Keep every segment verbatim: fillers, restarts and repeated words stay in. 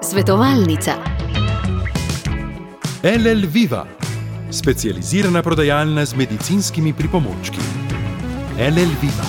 Svetovalnica. L L Viva, specializirana prodajalna z medicinskimi pripomočki. L L Viva.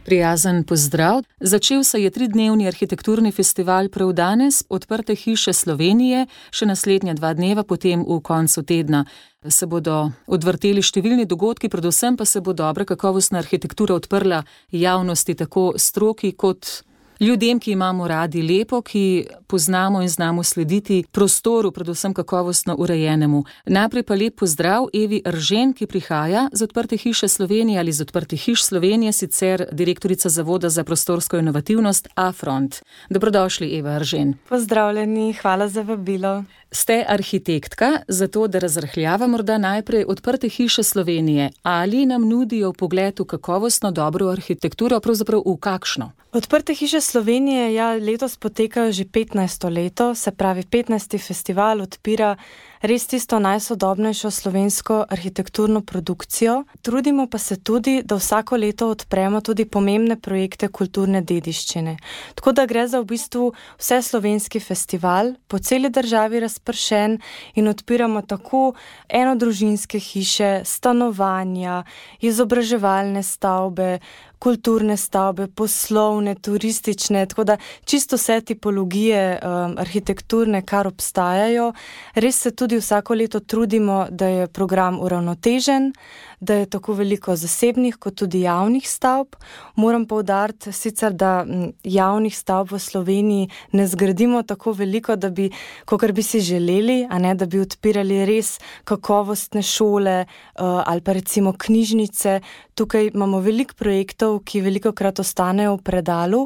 Prijazen pozdrav. Začel se je tridnevni arhitekturni festival prav danes, Odprte hiše Slovenije, še naslednja dva dneva, potem v koncu tedna se bodo odvrteli številni dogodki, predvsem pa se bo dobra kakovostna arhitektura odprla javnosti, tako stroki kot ljudem, ki imamo radi lepo, ki poznamo in znamo slediti prostoru, predvsem kakovostno urejenemu. Najprej pa lep pozdrav Evi Eržen, ki prihaja z Odprte hiše Slovenije ali z Odprtih hiš Slovenije, sicer direktorica Zavoda za prostorsko inovativnost Afront. Dobrodošli, Eva Eržen. Pozdravljeni, hvala za vabilo. Ste arhitektka, zato da razrahljava morda najprej Odprte hiše Slovenije. Ali nam nudijo vpogled v kakovostno dobro arhitekturo, pravzaprav v kakšno? Odprte hiše Slovenije ja, letos potekajo že petnajsto leto, se pravi petnajsti festival odpira res tisto najsodobnejšo slovensko arhitekturno produkcijo. Trudimo pa se tudi, da vsako leto odpremo tudi pomembne projekte kulturne dediščine. Tako da gre za v bistvu vse slovenski festival, po celi državi razpršen in odpiramo tako enodružinske hiše, stanovanja, izobraževalne stavbe, kulturne stavbe, poslovne, turistične, tako da čisto vse tipologije um, arhitekturne, kar obstajajo. Res se tudi vsako leto trudimo, da je program uravnotežen, da je tako veliko zasebnih kot tudi javnih stavb. Moram poudariti sicer, da javnih stavb v Sloveniji ne zgradimo tako veliko, da bi, kakor bi si želeli, a ne, da bi odpirali res kakovostne šole uh, ali pa recimo knjižnice. Tukaj imamo veliko projektov, ki velikokrat ostanejo v predalu.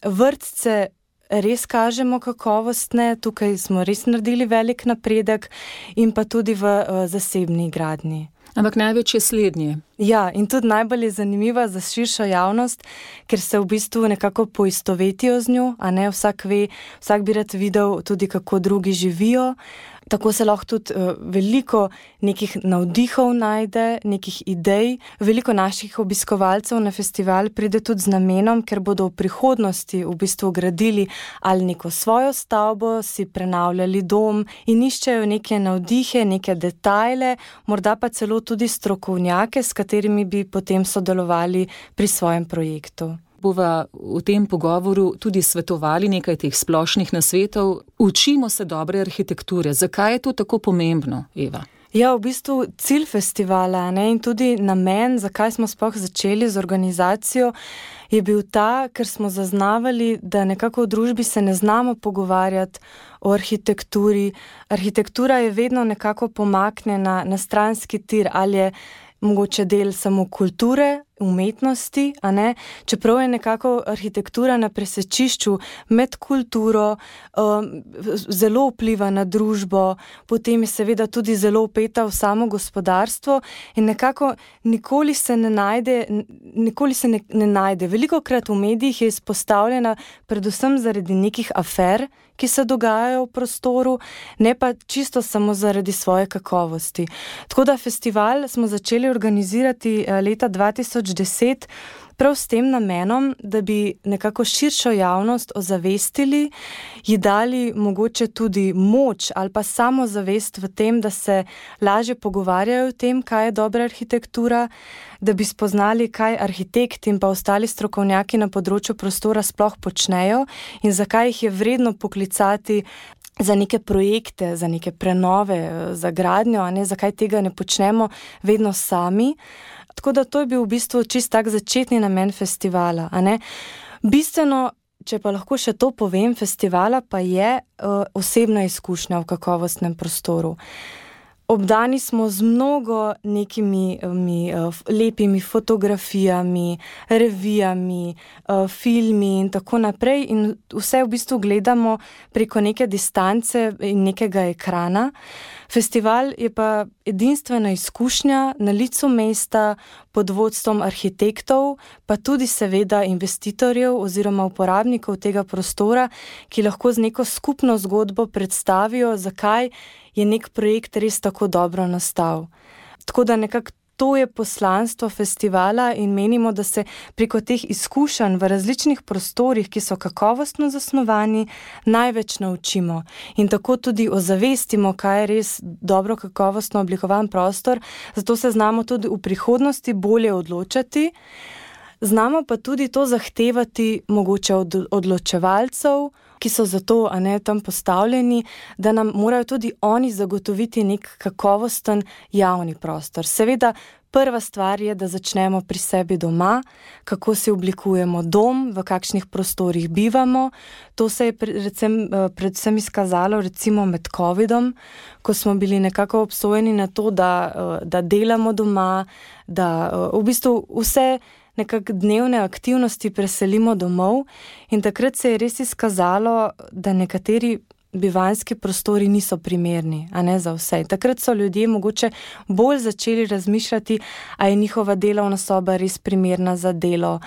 Vrtce res kažemo kakovostne, tukaj smo res naredili velik napredek in pa tudi v uh, zasebni gradnji. Ampak največ je slednje. Ja, in tudi najbolj je zanimiva za širšo javnost, ker se v bistvu nekako poistovetijo z njo, a ne vsak ve, vsak bi rad videl tudi, kako drugi živijo. Tako se lahko tudi uh, veliko nekih navdihov najde, nekih idej. Veliko naših obiskovalcev na festival pride tudi z namenom, ker bodo v prihodnosti v bistvu gradili ali neko svojo stavbo, si prenavljali dom in iščejo neke navdihe, neke detajle, morda pa celo tudi strokovnjake, s katerimi bi potem sodelovali pri svojem projektu. Bova v tem pogovoru tudi svetovali nekaj teh splošnih nasvetov. Učimo se dobre arhitekture. Zakaj je to tako pomembno, Eva? Ja, v bistvu cilj festivala, ne, in tudi namen, zakaj smo sploh začeli z organizacijo, je bil ta, ker smo zaznavali, da nekako v družbi se ne znamo pogovarjati o arhitekturi. Arhitektura je vedno nekako pomaknjena na stranski tir, ali je mogoče del samo kulture, umetnosti, a ne? Čeprav je nekako arhitektura na presečišču med kulturo, um, zelo vpliva na družbo, potem je seveda tudi zelo vpeta v samo gospodarstvo in nekako nikoli se ne najde, nikoli se ne, ne najde. Velikokrat v medijih je izpostavljena predvsem zaradi nekih afer, ki se dogajajo v prostoru, ne pa čisto samo zaradi svoje kakovosti. Tako da festival smo začeli organizirati leta dva tisoč deset prav s tem namenom, da bi nekako širšo javnost ozavestili, ji dali mogoče tudi moč ali pa samozavest v tem, da se lažje pogovarjajo o tem, kaj je dobra arhitektura, da bi spoznali, kaj arhitekti in pa ostali strokovnjaki na področju prostora sploh počnejo in zakaj jih je vredno poklicati za neke projekte, za neke prenove, za gradnjo, a ne, zakaj tega ne počnemo vedno sami. Tako da to je bil v bistvu čist tak začetni namen festivala, a ne. Bistveno, če pa lahko še to povem, festivala pa je uh, osebna izkušnja v kakovostnem prostoru. Obdani smo z mnogo nekimi mi, uh, lepimi fotografijami, revijami, uh, filmi in tako naprej in vse v bistvu gledamo preko neke distance in nekega ekrana. Festival je pa edinstvena izkušnja na licu mesta pod vodstvom arhitektov, pa tudi seveda investitorjev oziroma uporabnikov tega prostora, ki lahko z neko skupno zgodbo predstavijo, zakaj je nek projekt res tako dobro nastal. Tako da nekako to je poslanstvo festivala in menimo, da se preko teh izkušenj v različnih prostorih, ki so kakovostno zasnovani, največ naučimo. In tako tudi ozavestimo, kaj je res dobro kakovostno oblikovan prostor, zato se znamo tudi v prihodnosti bolje odločati. Znamo pa tudi to zahtevati mogoče od odločevalcev, ki so zato a ne, tam postavljeni, da nam morajo tudi oni zagotoviti nek kakovosten javni prostor. Seveda, prva stvar je, da začnemo pri sebi doma, kako si oblikujemo dom, v kakšnih prostorih bivamo. To se je predvsem, predvsem izkazalo recimo med covidom, ko smo bili nekako obsojeni na to, da, da delamo doma, da v bistvu vse nekako dnevne aktivnosti preselimo domov in takrat se je res izkazalo, da nekateri bivanjski prostori niso primerni, a ne za vse. Takrat so ljudje mogoče bolj začeli razmišljati, a je njihova delovna soba res primerna za delo,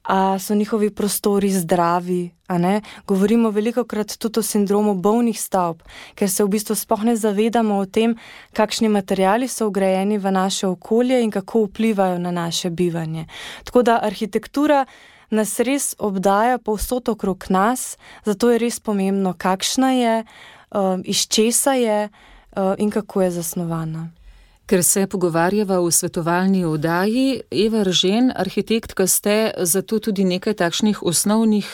a so njihovi prostori zdravi, a ne. Govorimo velikokrat tudi o sindromu bolnih stavb, ker se v bistvu sploh ne zavedamo o tem, kakšni materiali so vgrajeni v naše okolje in kako vplivajo na naše bivanje. Tako da arhitektura nas res obdaja povsod okrog nas, zato je res pomembno, kakšna je, iz česa je in kako je zasnovana. Ker se pogovarjava v svetovalni oddaji, Eva Eržen, arhitektka ste, zato tudi nekaj takšnih osnovnih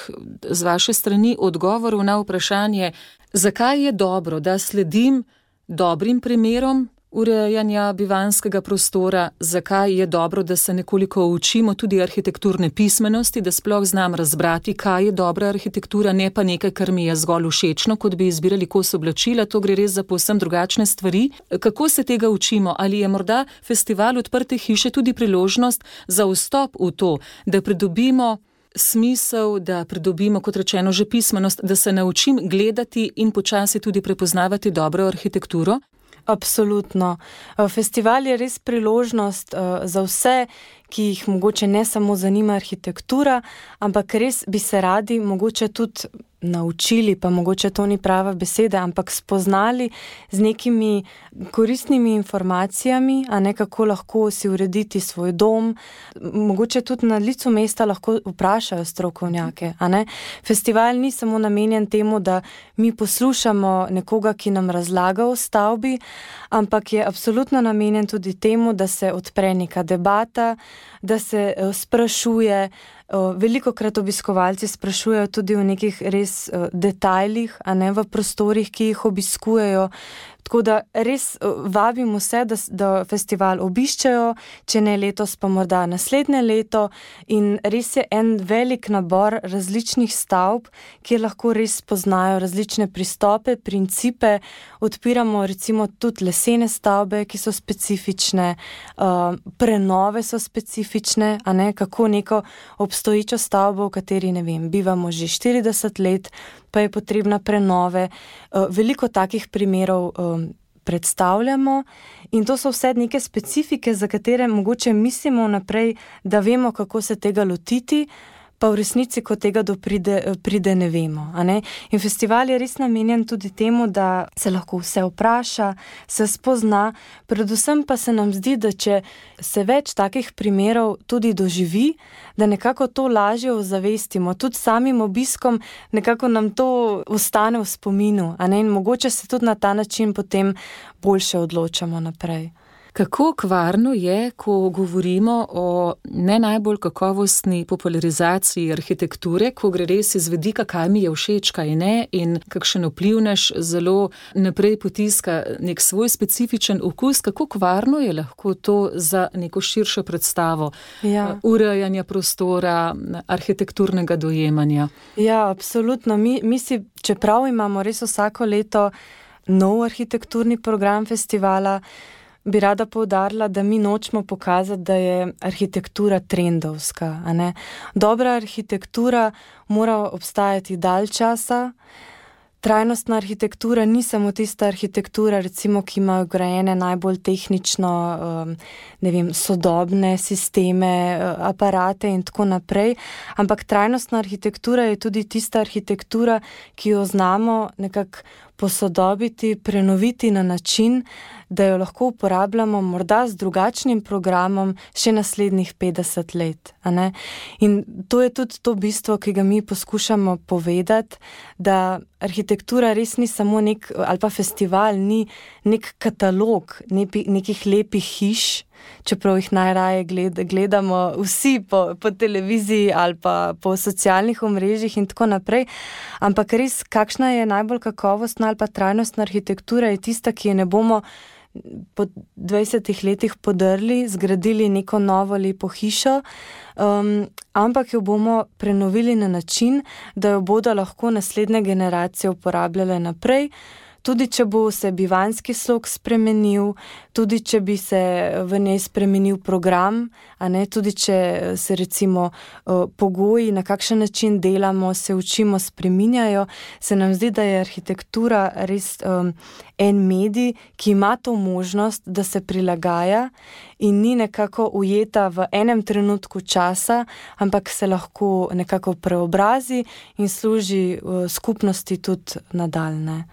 z vaše strani odgovorov na vprašanje, zakaj je dobro, da sledim dobrim primerom urejanja bivanjskega prostora, zakaj je dobro, da se nekoliko učimo tudi arhitekturne pismenosti, da sploh znam razbrati, kaj je dobra arhitektura, ne pa nekaj, kar mi je zgolj všečno, kot bi izbirali kos oblačila, to gre res za povsem drugačne stvari. Kako se tega učimo? Ali je morda festival Odprte hiše tudi priložnost za vstop v to, da pridobimo smisel, da pridobimo, kot rečeno, že pismenost, da se naučim gledati in počasi tudi prepoznavati dobro arhitekturo? Absolutno. Festival je res priložnost za vse, ki jih mogoče ne samo zanima arhitektura, ampak res bi se radi mogoče tudi naučili, pa mogoče to ni prava beseda, ampak spoznali z nekimi koristnimi informacijami, a ne kako lahko si urediti svoj dom. Mogoče tudi na licu mesta lahko vprašajo strokovnjake, a ne. Festival ni samo namenjen temu, da mi poslušamo nekoga, ki nam razlaga o stavbi, ampak je absolutno namenjen tudi temu, da se odpre neka debata, da se sprašuje. Velikokrat obiskovalci sprašujejo tudi o nekih res detajlih, a ne v prostorih, ki jih obiskujejo. Tako da res vabim vse, da, da festival obiščejo, če ne letos, pa morda naslednje leto. In res je en velik nabor različnih stavb, kjer lahko res spoznajo različne pristope, principe. Odpiramo recimo tudi lesene stavbe, ki so specifične, uh, prenove so specifične, a ne, kako neko obstoječo stavbo, v kateri, ne vem, bivamo že štirideset let, pa je potrebna prenove. Veliko takih primerov predstavljamo in to so vse neke specifike, za katere mogoče mislimo naprej, da vemo, kako se tega lotiti, pa v resnici, ko tega do pride, pride ne vemo. A ne? In festival je res namenjen tudi temu, da se lahko vse vpraša, se spozna, predvsem pa se nam zdi, da če se več takih primerov tudi doživi, da nekako to lažje ozavestimo, tudi samim obiskom nekako nam to ostane v spominu, a ne? In mogoče se tudi na ta način potem boljše odločamo naprej. Kako kvarno je, ko govorimo o ne najbolj kakovostni popularizaciji arhitekture, ko gre res iz vidika, kaj mi je všeč, kaj ne, in kakšen vplivnež zelo naprej potiska nek svoj specifičen okus, kako kvarno je lahko to za neko širšo predstavo ja. urejanja prostora, arhitekturnega dojemanja? Ja, absolutno. Mi, mi si, čeprav imamo res vsako leto nov arhitekturni program festivala, bi rada poudarila, da mi nočemo pokazati, da je arhitektura trendovska. A ne? Dobra arhitektura mora obstajati dalj časa, trajnostna arhitektura ni samo tista arhitektura, recimo, ki ima vgrajene najbolj tehnično, ne vem, sodobne sisteme, aparate in tako naprej, ampak trajnostna arhitektura je tudi tista arhitektura, ki jo znamo nekako posodobiti, prenoviti na način, da jo lahko uporabljamo morda z drugačnim programom še naslednjih petdeset let. A ne? In to je tudi to bistvo, ki ga mi poskušamo povedati, da arhitektura res ni samo nek, ali pa festival, ni nek katalog nepi, nekih lepih hiš, čeprav jih najraje gled, gledamo vsi po, po televiziji ali pa po socialnih omrežjih in tako naprej, ampak res, kakšna je najbolj kakovostna ali pa trajnostna arhitektura, je tista, ki je ne bomo po dvajsetih letih podrli, zgradili neko novo lepo hišo, um, ampak jo bomo prenovili na način, da jo bodo lahko naslednje generacije uporabljale naprej, tudi če bo se bivanjski slog spremenil, tudi če bi se v njej spremenil program, a ne, tudi če se recimo pogoji, na kakšen način delamo, se učimo, spreminjajo, se nam zdi, da je arhitektura res um, en medij, ki ima to možnost, da se prilagaja in ni nekako ujeta v enem trenutku časa, ampak se lahko nekako preobrazi in služi uh, skupnosti tudi nadaljne.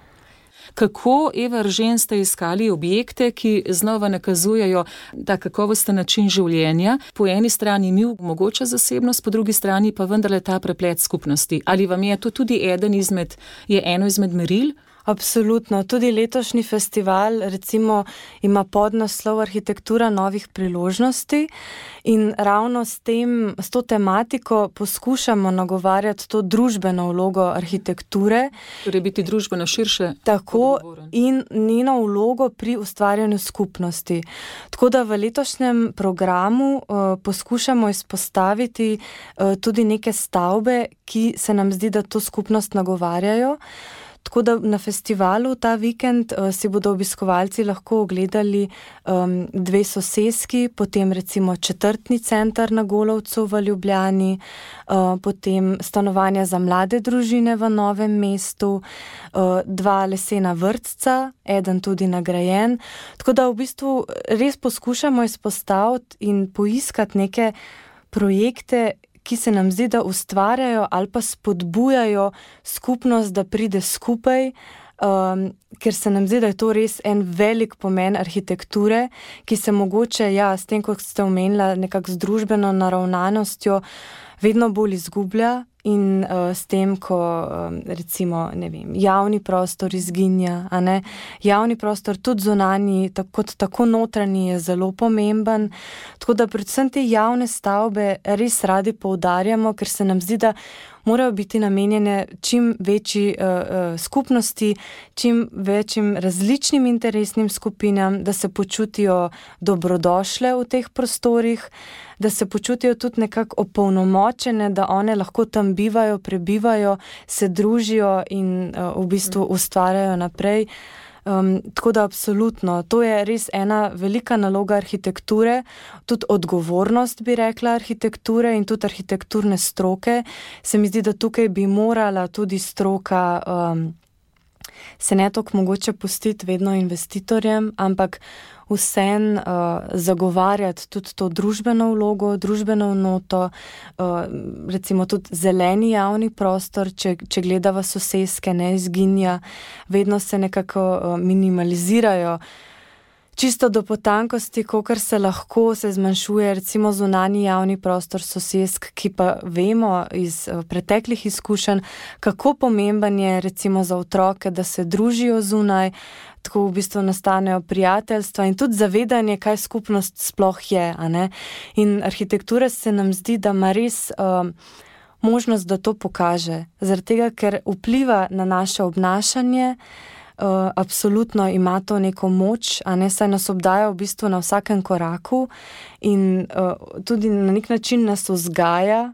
Kako, Eva Eržen, ste iskali objekte, ki znova nakazujejo ta kakovosten način življenja? Po eni strani mi omogoča zasebnost, po drugi strani pa vendarle ta preplet skupnosti. Ali vam je to tudi eden izmed, je eno izmed meril? Absolutno. Tudi letošnji festival recimo ima podnaslov Arhitektura novih priložnosti in ravno s tem, s to tematiko poskušamo nagovarjati to družbeno vlogo arhitekture. Torej biti družbeno širše. Tako in njeno vlogo pri ustvarjanju skupnosti. Tako da v letošnjem programu uh, poskušamo izpostaviti uh, tudi neke stavbe, ki se nam zdi, da to skupnost nagovarjajo. Tako da na festivalu ta vikend uh, si bodo obiskovalci lahko ogledali um, dve soseski, potem recimo četrtni center na Golovcu v Ljubljani, uh, potem stanovanja za mlade družine v Novem mestu, uh, dva lesena vrtca, eden tudi nagrajen. Tako da v bistvu res poskušamo izpostaviti in poiskati neke projekte, ki se nam zdi, da ustvarjajo ali pa spodbujajo skupnost, da pride skupaj, um, ker se nam zdi, da je to res en velik pomen arhitekture, ki se mogoče, ja, s tem, kot ste omenila, nekako z družbeno naravnanostjo, vedno bolj izgublja in uh, s tem, ko um, recimo, ne vem, javni prostor izginja, a ne, javni prostor tudi zunanji, tako, kot tako notranji je zelo pomemben, tako da predvsem te javne stavbe res radi poudarjamo, ker se nam zdi, da morajo biti namenjene čim večji uh, uh, skupnosti, čim večjim različnim interesnim skupinam, da se počutijo dobrodošle v teh prostorih, da se počutijo tudi nekako opolnomočene, da one lahko tam bivajo, prebivajo, se družijo in uh, v bistvu ustvarjajo naprej. Um, tako da absolutno, to je res ena velika naloga arhitekture, tudi odgovornost, bi rekla, arhitekture in tudi arhitekturne stroke. Se mi zdi, da tukaj bi morala tudi stroka um, se ne toliko mogoče pustiti vedno investitorjem, ampak vsem uh, zagovarjati tudi to družbeno vlogo, družbeno noto, uh, recimo tudi zeleni javni prostor, če, če gledava soseske, ne izginja, vedno se nekako uh, minimalizirajo. Čisto do potankosti, kolikor se lahko, se zmanjšuje recimo zunanji javni prostor sosesk, ki pa vemo iz uh, preteklih izkušenj, kako pomemben je recimo za otroke, da se družijo zunaj, tako v bistvu nastanejo prijateljstva in tudi zavedanje, kaj skupnost sploh je, a ne. In arhitektura se nam zdi, da ima res uh, možnost, da to pokaže, zaradi tega, ker vpliva na naše obnašanje. Uh, absolutno ima to neko moč, a ne, saj nas obdaja v bistvu na vsakem koraku in uh, tudi na nek način nas vzgaja.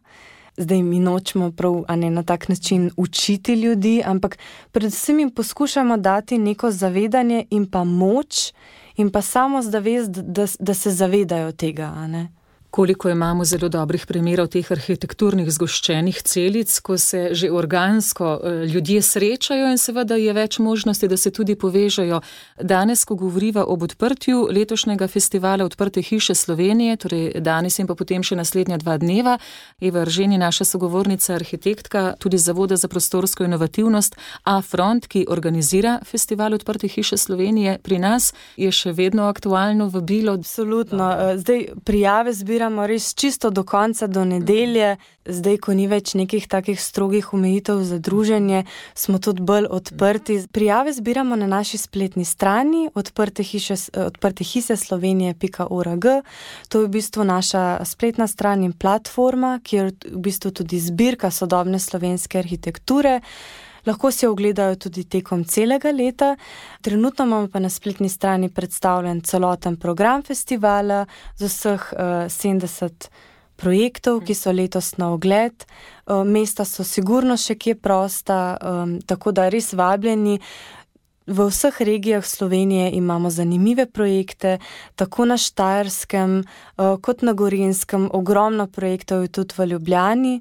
Zdaj mi nočemo prav, a ne, na tak način učiti ljudi, ampak predvsem jim poskušamo dati neko zavedanje in pa moč in pa samo zavest, da, da se zavedajo tega, a ne. Koliko imamo zelo dobrih primerov teh arhitekturnih zgoščenih celic, ko se že organsko ljudje srečajo in seveda je več možnosti, da se tudi povežejo. Danes, ko govoriva ob odprtju letošnjega festivala Odprte hiše Slovenije, torej danes in pa potem še naslednja dva dneva, Eva Eržen je naša sogovornica, arhitektka, tudi Zavoda za prostorsko inovativnost A-Front, ki organizira festival Odprte hiše Slovenije pri nas, je še vedno aktualno vabilo. Absolutno. Zdaj prijave zbiramo res čisto do konca, do nedelje. Zdaj, ko ni več nekih takih strogih omejitev za druženje, smo tudi bolj odprti. Prijave zbiramo na naši spletni strani odprte hiše, odprte hiše slovenije pika org. To je v bistvu naša spletna stran in platforma, kjer v bistvu tudi zbirka sodobne slovenske arhitekture. Lahko si jo ogledajo tudi tekom celega leta. Trenutno imamo pa na spletni strani predstavljen celoten program festivala z vseh uh, sedemdeset projektov, ki so letos na ogled. Uh, mesta so sigurno še kje prosta, um, tako da res vabljeni. V vseh regijah Slovenije imamo zanimive projekte, tako na Štajerskem uh, kot na Gorenjskem. Ogromno projektov je tudi v Ljubljani.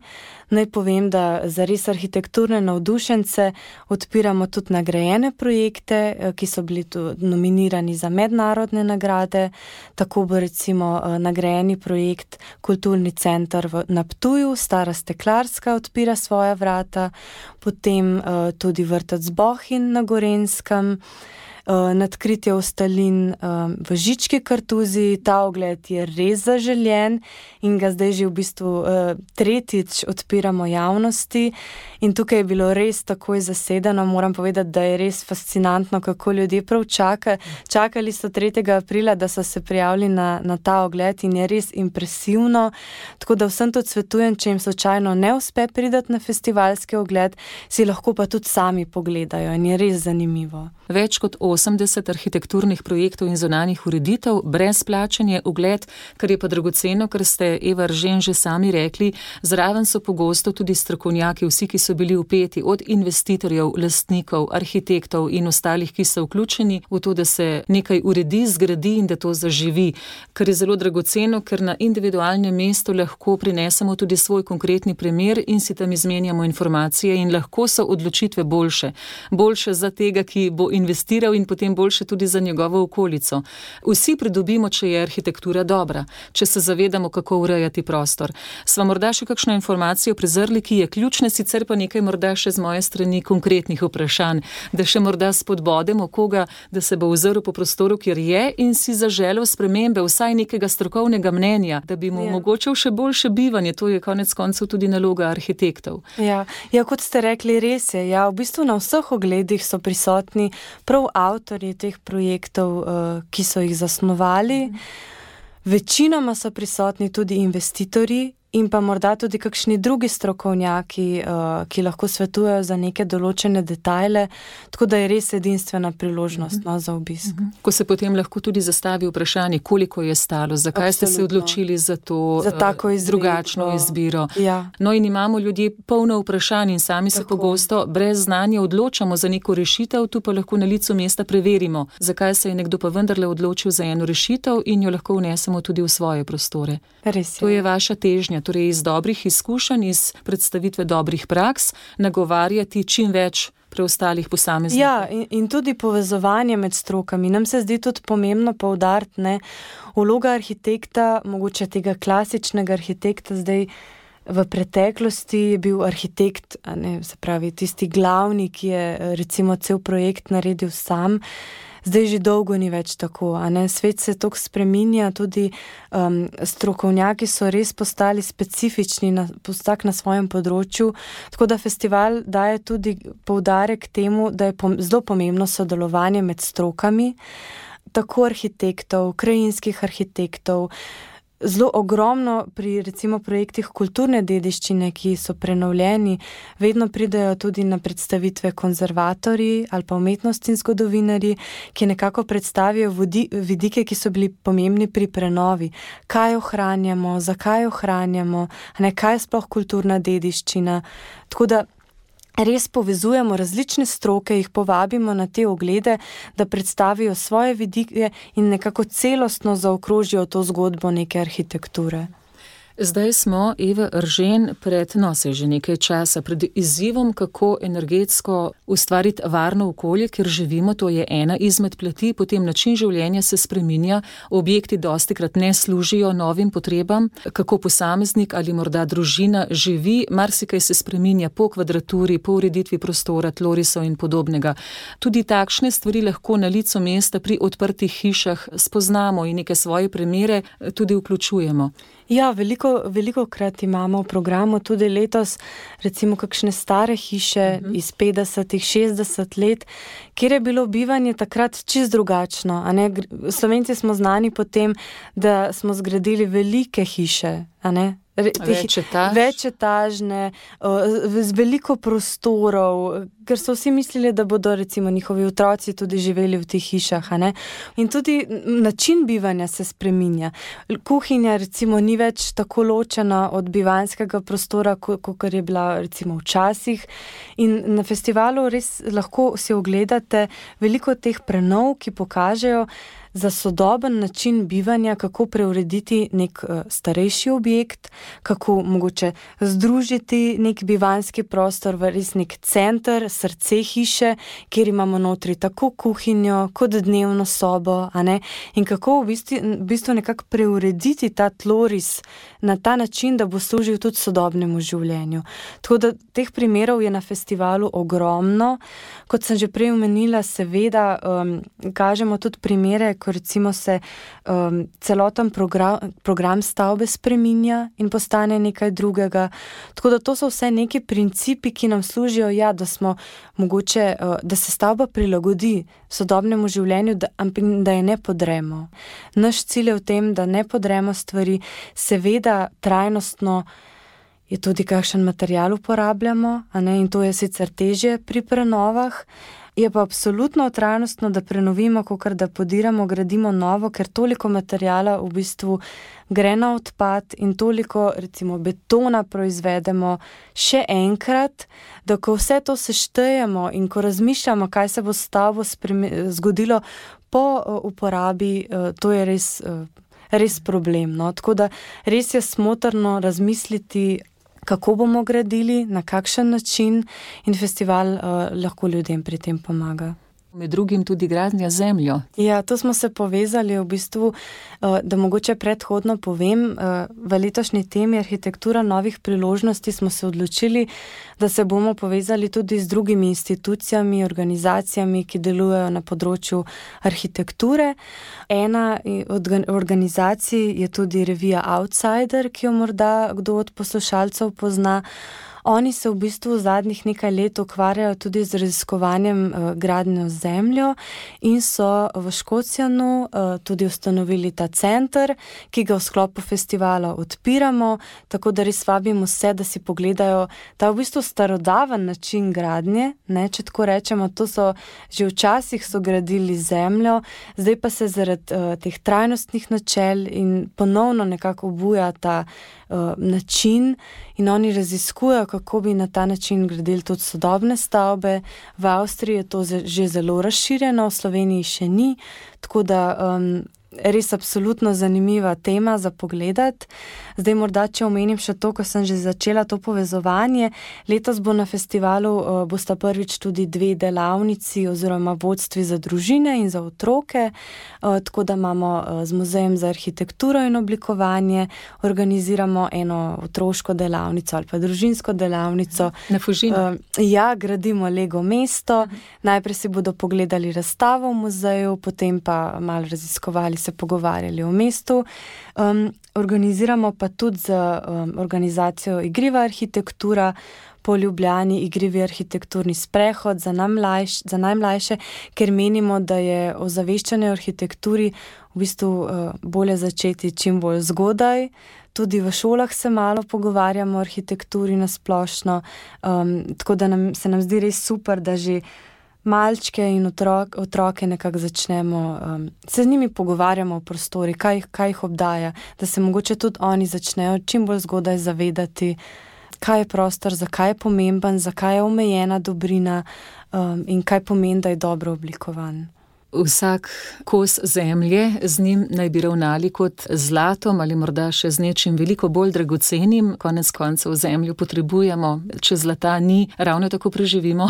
Naj povem, da za res arhitekturne navdušence odpiramo tudi nagrajene projekte, ki so bili tudi nominirani za mednarodne nagrade. Tako bo recimo nagrajeni projekt Kulturni center na Ptuju, Stara Steklarska odpira svoja vrata, potem tudi vrtec Bohinj na Gorenjskem, nadkritje Ostalin v Žički Kartuziji. Ta ogled je res zaželjen in ga zdaj že v bistvu tretjič odpiramo javnosti in tukaj je bilo res takoj zasedeno. Moram povedati, da je res fascinantno, kako ljudje prav čakajo. Čakali so tretjega aprila, da so se prijavili na, na ta ogled in je res impresivno. Tako da vsem tudi svetujem, če jim slučajno ne uspe priti na festivalski ogled, si lahko pa tudi sami pogledajo in je res zanimivo. Več kot osemdeset arhitekturnih projektov in zunanjih ureditev, brezplačen je ogled, kar je pa dragoceno, ker ste, Eva Eržen, že sami rekli, zraven so pogosto tudi strokovnjaki, vsi, ki so bili vpeti, od investitorjev, lastnikov, arhitektov in ostalih, ki so vključeni v to, da se nekaj uredi, zgradi in da to zaživi, kar je zelo dragoceno, ker na individualnem mestu lahko prinesemo tudi svoj konkretni primer in si tam izmenjamo informacije in lahko so odločitve boljše. Boljše za tega, ki bo investiral in potem boljše tudi za njegovo okolico. Vsi pridobimo, če je arhitektura dobra, če se zavedamo, kako urejati prostor. Sva morda še kakšno informacijo prezrli, ki je ključna, sicer pa nekaj morda še z moje strani konkretnih vprašanj, da še morda spodbodemo koga, da se bo ozrl po prostoru, kjer je in si zaželel spremembe, vsaj nekega strokovnega mnenja, da bi mu ja. omogočil še boljše bivanje. To je konec koncev tudi naloga arhitektov. Ja, ja, kot ste rekli, res je. Ja, v bistvu na vseh ogledih so prisotni prav avtorji teh projektov, ki so jih zasnovali. Večinoma so prisotni tudi investitorji in pa morda tudi kakšni drugi strokovnjaki, ki lahko svetujejo za neke določene detajle, tako da je res edinstvena priložnost no, za obisk. Ko se potem lahko tudi zastavi vprašanje, koliko je stalo, zakaj Absolutno. Ste se odločili za to za tako izbiro. drugačno izbiro. Ja. No in imamo ljudje polno vprašanj in sami tako. Se pogosto brez znanja odločamo za neko rešitev, tu pa lahko na licu mesta preverimo, zakaj se je nekdo pa vendarle odločil za eno rešitev in jo lahko vnesemo tudi v svoje prostore. Res je. To je vaša težnja. Torej iz dobrih izkušenj, iz predstavitve dobrih praks, nagovarjati čim več preostalih posameznikov. Ja, in, in tudi povezovanje med strokami. Nam se zdi tudi pomembno poudariti, ne, vloga arhitekta, mogoče tega klasičnega arhitekta, zdaj v preteklosti je bil arhitekt, ne, se pravi tisti glavni, ki je recimo cel projekt naredil sam. Zdaj že dolgo ni več tako, a ne? Svet se toliko spreminja, tudi um, strokovnjaki so res postali specifični na, postak na svojem področju, tako da festival daje tudi poudarek temu, da je pom- zelo pomembno sodelovanje med strokami, tako arhitektov, krajinskih arhitektov, zelo ogromno pri recimo projektih kulturne dediščine, ki so prenovljeni, vedno pridejo tudi na predstavitve konzervatorji ali pa umetnostni zgodovinarji, ki nekako predstavijo vodi, vidike, ki so bili pomembni pri prenovi. Kaj ohranjamo, zakaj ohranjamo, ne, kaj je sploh kulturna dediščina. Tako da res povezujemo različne stroke, jih povabimo na te oglede, da predstavijo svoje vidike in nekako celostno zaokrožijo to zgodbo neke arhitekture. Zdaj smo, Eva Eržen, pred, no, se že nekaj časa, pred izzivom, kako energetsko ustvariti varno okolje, kjer živimo, to je ena izmed plati, potem način življenja se spreminja, objekti dostikrat ne služijo novim potrebam, kako posameznik ali morda družina živi, marsikaj se spreminja po kvadraturi, po ureditvi prostora, tlorisov in podobnega. Tudi takšne stvari lahko na licu mesta pri odprtih hišah spoznamo in neke svoje primere tudi vključujemo. Ja, veliko, veliko krat imamo v programu tudi letos recimo kakšne stare hiše uh-huh. iz petdesetih, šestdeset let, kjer je bilo bivanje takrat čist drugačno. A ne? Slovenci smo znani po tem, da smo zgradili velike hiše, a ne? Večetaž. Večetažne, z veliko prostorov, ker so vsi mislili, da bodo recimo njihovi otroci tudi živeli v teh hišah. A ne? In tudi način bivanja se spreminja. Kuhinja recimo ni več tako ločena od bivanjskega prostora, kot je bila recimo včasih. In na festivalu res lahko si ogledate veliko teh prenov, ki pokažejo za sodoben način bivanja, kako preurediti nek uh, starejši objekt, kako mogoče združiti nek bivanjski prostor v res nek center, srce hiše, kjer imamo notri tako kuhinjo, kot dnevno sobo, a ne? In kako v bistvu, v bistvu nekako preurediti ta tloris na ta način, da bo služil tudi sodobnemu življenju. Tako da teh primerov je na festivalu ogromno. Kot sem že prej omenila, seveda um, kažemo tudi primere, ko recimo se um, celoten program, program stavbe spreminja in postane nekaj drugega. Tako da to so vse neki principi, ki nam služijo, ja, da smo mogoče, uh, da se stavba prilagodi sodobnemu življenju, da, da je ne podremo. Naš cilj je v tem, da ne podremo stvari, seveda trajnostno je tudi kakšen material uporabljamo, a ne, in to je sicer težje pri prenovah. Je pa absolutno trajnostno, da prenovimo, kakor da podiramo, gradimo novo, ker toliko materijala v bistvu gre na odpad in toliko recimo betona proizvedemo še enkrat, da ko vse to seštejemo in ko razmišljamo, kaj se bo s stavbo zgodilo po uporabi, to je res, res problem. No? Tako da res je smotrno razmisliti, kako bomo gradili, na kakšen način, in festival uh, lahko ljudem pri tem pomaga. Med drugim tudi gradnja zemljo. Ja, to smo se povezali v bistvu, da mogoče predhodno povem, v letošnji temi arhitektura novih priložnosti smo se odločili, da se bomo povezali tudi z drugimi institucijami, organizacijami, ki delujejo na področju arhitekture. Ena od organizacij je tudi revija Outsider, ki jo morda kdo od poslušalcev pozna. Oni se v bistvu v zadnjih nekaj let ukvarjajo tudi z raziskovanjem uh, gradnjo zemljo in so v Škocjanu uh, tudi ustanovili ta center, ki ga v sklopu festivala odpiramo, tako da res vabimo vse, da si pogledajo ta v bistvu starodaven način gradnje, ne, če tako rečemo, to so že včasih so gradili zemljo, zdaj pa se zaradi uh, teh trajnostnih načel in ponovno nekako obuja ta uh, način in oni raziskujejo, kako bi na ta način gradili tudi sodobne stavbe. V Avstriji je to že zelo razširjeno, v Sloveniji še ni, tako da um, res absolutno zanimiva tema za pogledati. Zdaj morda, če omenim še to, ko sem že začela to povezovanje, letos bo na festivalu uh, bosta prvič tudi dve delavnici oziroma vodstvi za družine in za otroke, uh, tako da imamo uh, z Muzejem za arhitekturo in oblikovanje, organiziramo eno otroško delavnico ali pa družinsko delavnico. Na Fužinu. Uh, ja, gradimo Lego mesto, uh-huh. Najprej si bodo pogledali razstavo v muzeju, potem pa malo raziskovali, se pogovarjali o mestu. Um, organiziramo pa tudi z um, organizacijo Igriva arhitektura po Ljubljani, igrivi arhitekturni sprehod za, najmlajš, za najmlajše, ker menimo, da je ozaveščanje o arhitekturi v bistvu uh, bolje začeti čim bolj zgodaj. Tudi v šolah se malo pogovarjamo o arhitekturi na splošno, um, tako da nam, se nam zdi res super, da že malčke in otrok, otroke nekako začnemo, um, se z njimi pogovarjamo o prostori, kaj, kaj jih obdaja, da se mogoče tudi oni začnejo čim bolj zgodaj zavedati, kaj je prostor, zakaj je pomemben, zakaj je omejena dobrina um, in kaj pomeni, da je dobro oblikovan. Vsak kos zemlje, z njim naj bi ravnali kot zlatom ali morda še z nečim veliko bolj dragocenim. Konec koncev zemljo potrebujemo, če zlata ni, ravno tako preživimo.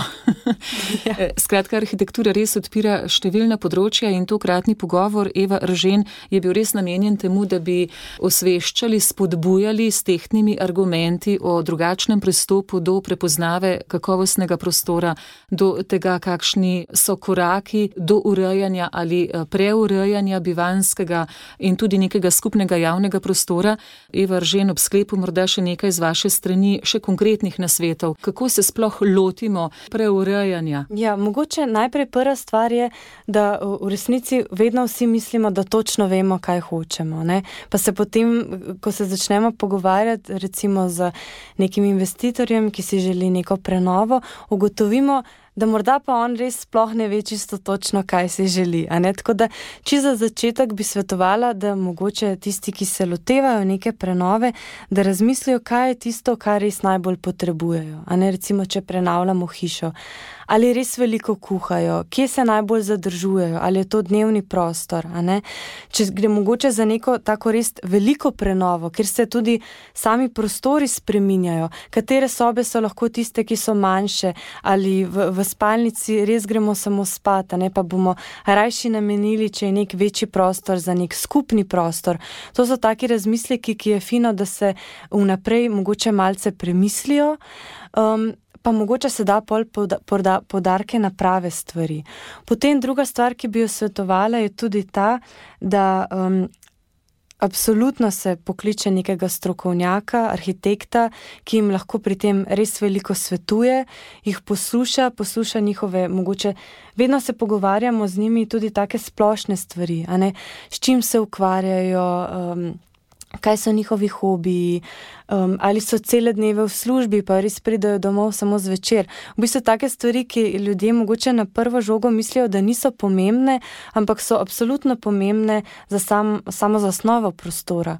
Ja. Skratka, arhitektura res odpira številna področja in tokratni pogovor Eva Eržen je bil res namenjen temu, da bi osveščali, spodbujali s tehtnimi argumenti o drugačnem pristopu do prepoznave kakovostnega prostora, do tega, kakšni so koraki do urejanja ali preurejanja bivanjskega in tudi nekega skupnega javnega prostora. Eva Eržen, ob sklepu morda še nekaj z vaše strani, še konkretnih nasvetov. Kako se sploh lotimo preurejanja? Ja, mogoče najprej prva stvar je, da v resnici vedno vsi mislimo, da točno vemo, kaj hočemo, ne? Pa se potem, ko se začnemo pogovarjati recimo z nekim investitorjem, ki si želi neko prenovo, ugotovimo, da morda pa on res sploh ne ve čisto točno, kaj si želi. A ne? Tako da, čisto za začetek bi svetovala, da mogoče tisti, ki se lotevajo neke prenove, da razmislijo, kaj je tisto, kar res najbolj potrebujejo. A ne? Recimo, če prenavljamo hišo. Ali res veliko kuhajo, kje se najbolj zadržujejo, ali je to dnevni prostor, a ne? Če gre mogoče za neko tako res veliko prenovo, kjer se tudi sami prostori spreminjajo, katere sobe so lahko tiste, ki so manjše, ali v, v spalnici res gremo samo spat, a ne, pa bomo rajši namenili, če je nek večji prostor za nek skupni prostor. To so taki razmisleki, ki je fino, da se vnaprej mogoče malce premislijo, um, pa mogoče se da pol poudarke na prave stvari. Potem druga stvar, ki bi jo svetovala, je tudi ta, da um, absolutno se pokliče nekega strokovnjaka, arhitekta, ki jim lahko pri tem res veliko svetuje, jih posluša, posluša njihove, mogoče vedno se pogovarjamo z njimi tudi take splošne stvari, a ne, s čim se ukvarjajo, um, kaj so njihovi hobiji, um, ali so cele dneve v službi, pa res pridajo domov samo zvečer. V bistvu take stvari, ki ljudje mogoče na prvo žogo mislijo, da niso pomembne, ampak so absolutno pomembne za sam, samo zasnovo prostora.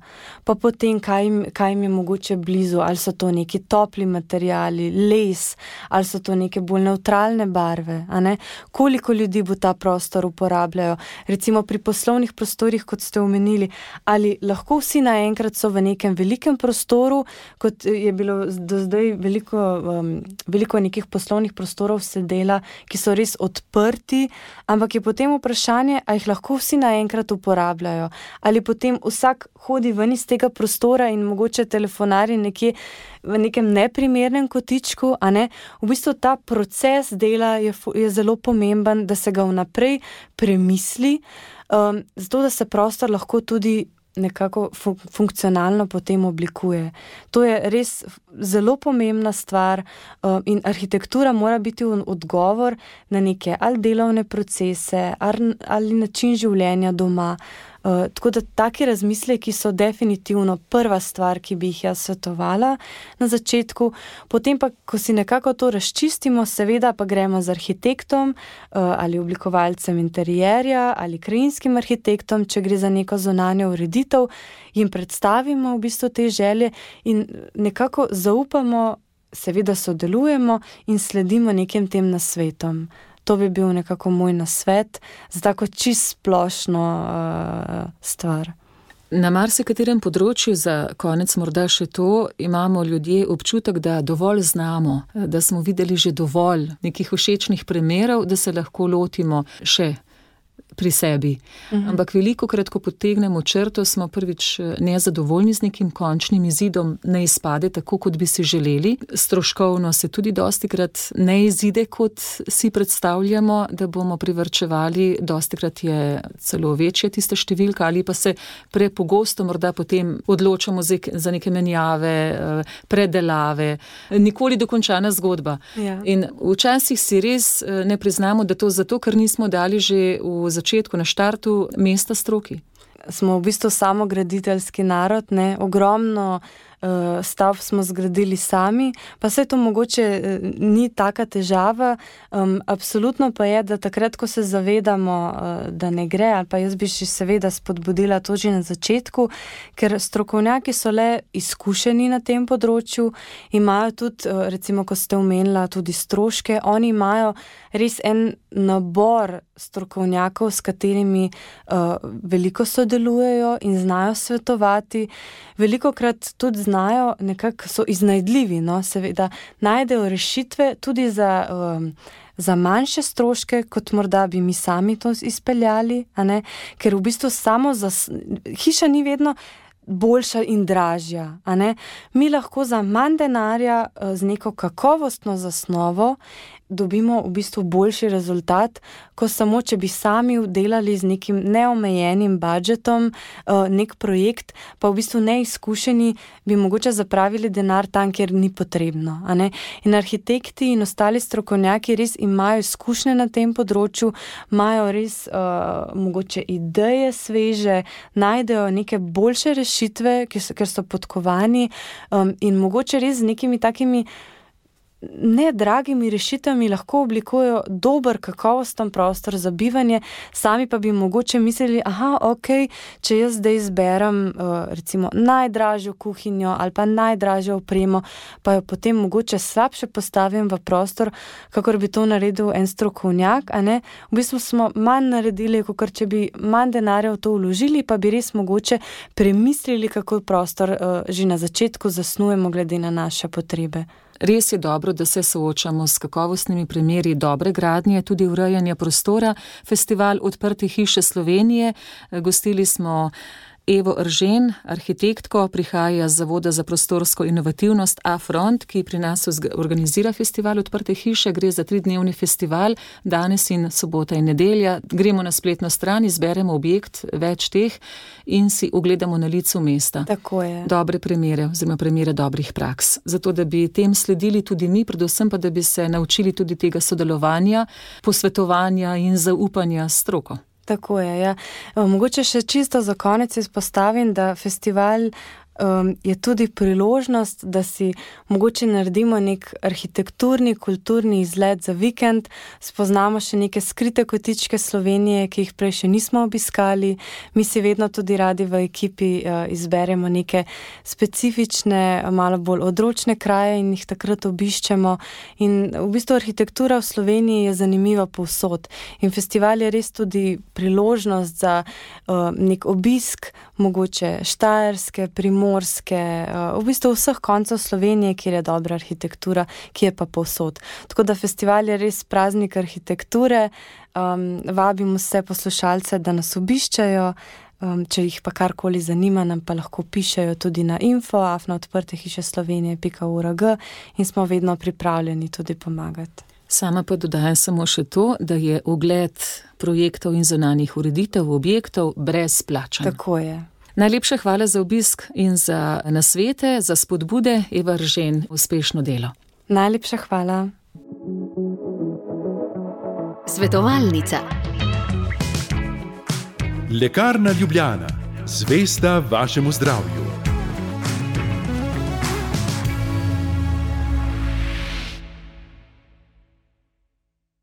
Pa potem, kaj jim, kaj jim je mogoče blizu, ali so to neki topli materiali, les, ali so to neke bolj nevtralne barve, a ne? Koliko ljudi bo ta prostor uporabljajo. Recimo pri poslovnih prostorih, kot ste omenili, ali lahko vsi na enkrat so v nekem velikem prostoru, kot je bilo do zdaj veliko, um, veliko nekih poslovnih prostorov se dela, ki so res odprti, ampak je potem vprašanje, a jih lahko vsi naenkrat uporabljajo, ali potem vsak hodi ven iz tega prostora in mogoče telefonari nekje v nekem neprimernem kotičku, a ne? V bistvu ta proces dela je, je zelo pomemben, da se ga vnaprej premisli, um, zato da se prostor lahko tudi nekako fun- funkcionalno potem oblikuje. To je res zelo pomembna stvar um, in arhitektura mora biti odgovor na neke ali delovne procese ali, ali način življenja doma. Uh, tako da taki razmisleki so definitivno prva stvar, ki bi jih jaz svetovala na začetku. Potem pa, ko si nekako to razčistimo, seveda pa gremo z arhitektom uh, ali oblikovalcem interierja ali krajinskim arhitektom, če gre za neko zunanjo ureditev, jim predstavimo v bistvu te želje in nekako zaupamo, seveda sodelujemo in sledimo nekim tem nasvetom. To bi bil nekako moj nasvet za tako čist splošno uh, stvar. Na marsikaterem področju, za konec morda še to, imamo ljudje občutek, da dovolj znamo, da smo videli že dovolj nekih všečnih primerov, da se lahko lotimo še pri sebi. Uh-huh. Ampak velikokrat, ko potegnemo črto, smo prvič nezadovoljni z nekim končnim izidom, ne izpade tako, kot bi si želeli. Stroškovno se tudi dostikrat ne izide, kot si predstavljamo, da bomo privarčevali. Dostikrat je celo večja tista številka ali pa se prepogosto morda potem odločamo za neke menjave, predelave. Nikoli dokončana zgodba. Ja. In včasih si res ne priznamo, da to zato, ker nismo dali že v začetku na štartu mesta stroki. Smo v bistvu samograditeljski narod, ne? Ogromno stavb smo zgradili sami, pa vse to mogoče ni taka težava. Um, absolutno pa je, da takrat, ko se zavedamo, uh, da ne gre, ali pa jaz bi še seveda spodbudila to že na začetku, ker strokovnjaki so le izkušeni na tem področju, imajo tudi, uh, recimo, ko ste omenila, tudi stroške, oni imajo res en nabor strokovnjakov, s katerimi uh, veliko sodelujejo in znajo svetovati. Velikokrat tudi znajo, nekako so iznajdljivi, no, seveda najdejo rešitve tudi za, um, za manjše stroške, kot morda bi mi sami to izpeljali, a ne? Ker v bistvu samo za, hiša ni vedno boljša in dražja, a ne? Mi lahko za manj denarja z neko kakovostno zasnovo dobimo v bistvu boljši rezultat, ko samo, če bi sami delali z nekim neomejenim budžetom nek projekt, pa v bistvu neizkušeni bi mogoče zapravili denar tam, kjer ni potrebno, a ne? In arhitekti in ostali strokovnjaki res imajo izkušnje na tem področju, imajo res uh, mogoče ideje sveže, najdejo neke boljše rešitve, ker so podkovani um, in mogoče res z nekimi takimi ne dragimi rešitvami lahko oblikujejo dober, kakovosten prostor za bivanje, sami pa bi mogoče mislili, aha, ok, če jaz zdaj izberem uh, recimo najdražjo kuhinjo ali pa najdražjo opremo, pa jo potem mogoče slabše postavim v prostor, kakor bi to naredil en strokovnjak, a ne? V bistvu smo manj naredili, kakor če bi manj denarja v to vložili, pa bi res mogoče premislili, kako prostor uh, že na začetku zasnujemo glede na naše potrebe. Res je dobro, da se soočamo s kakovostnimi primeri dobre gradnje, tudi urejanja prostora. Festival Odprte hiše Slovenije, gostili smo Evo Eržen, arhitektko, prihaja z Zavoda za prostorsko inovativnost A-Front, ki pri nas organizira festival Odprte hiše. Gre za tridnevni festival, danes in sobota in nedelja. Gremo na spletno stran, izberemo objekt, več teh in si ogledamo na licu mesta. Tako je. Dobre primere, oziroma primere dobrih praks. Zato, da bi tem sledili tudi mi, predvsem pa, da bi se naučili tudi tega sodelovanja, posvetovanja in zaupanja s stroko. Tako je, ja. Mogoče še čisto za konec izpostavim, da festival um, je tudi priložnost, da si mogoče naredimo nek arhitekturni, kulturni izlet za vikend, spoznamo še neke skrite kotičke Slovenije, ki jih prej še nismo obiskali. Mi si vedno tudi radi v ekipi uh, izberemo neke specifične, malo bolj odročne kraje in jih takrat obiščemo. In v bistvu arhitektura v Sloveniji je zanimiva povsod. In festival je res tudi priložnost za uh, nek obisk, mogoče Štajerske, Primorske, uh, v bistvu vseh koncev Slovenije, kjer je dobra arhitektura, ki je pa povsod. Tako da festival je res praznik arhitekture. Um, vabim vse poslušalce, da nas obiščajo. Um, če jih pa karkoli zanima, nam pa lahko pišejo tudi na info afna odprte hiše slovenije pika org in smo vedno pripravljeni tudi pomagati. Sama pa dodajam samo še to, da je ogled projektov in zunanjih ureditev objektov brezplačen. Tako je. Najlepša hvala za obisk in za nasvete, za spodbude. Eva Eržen, uspešno delo. Najlepša hvala. Svetovalnica. Lekarna Ljubljana. Zvesta vašemu zdravju.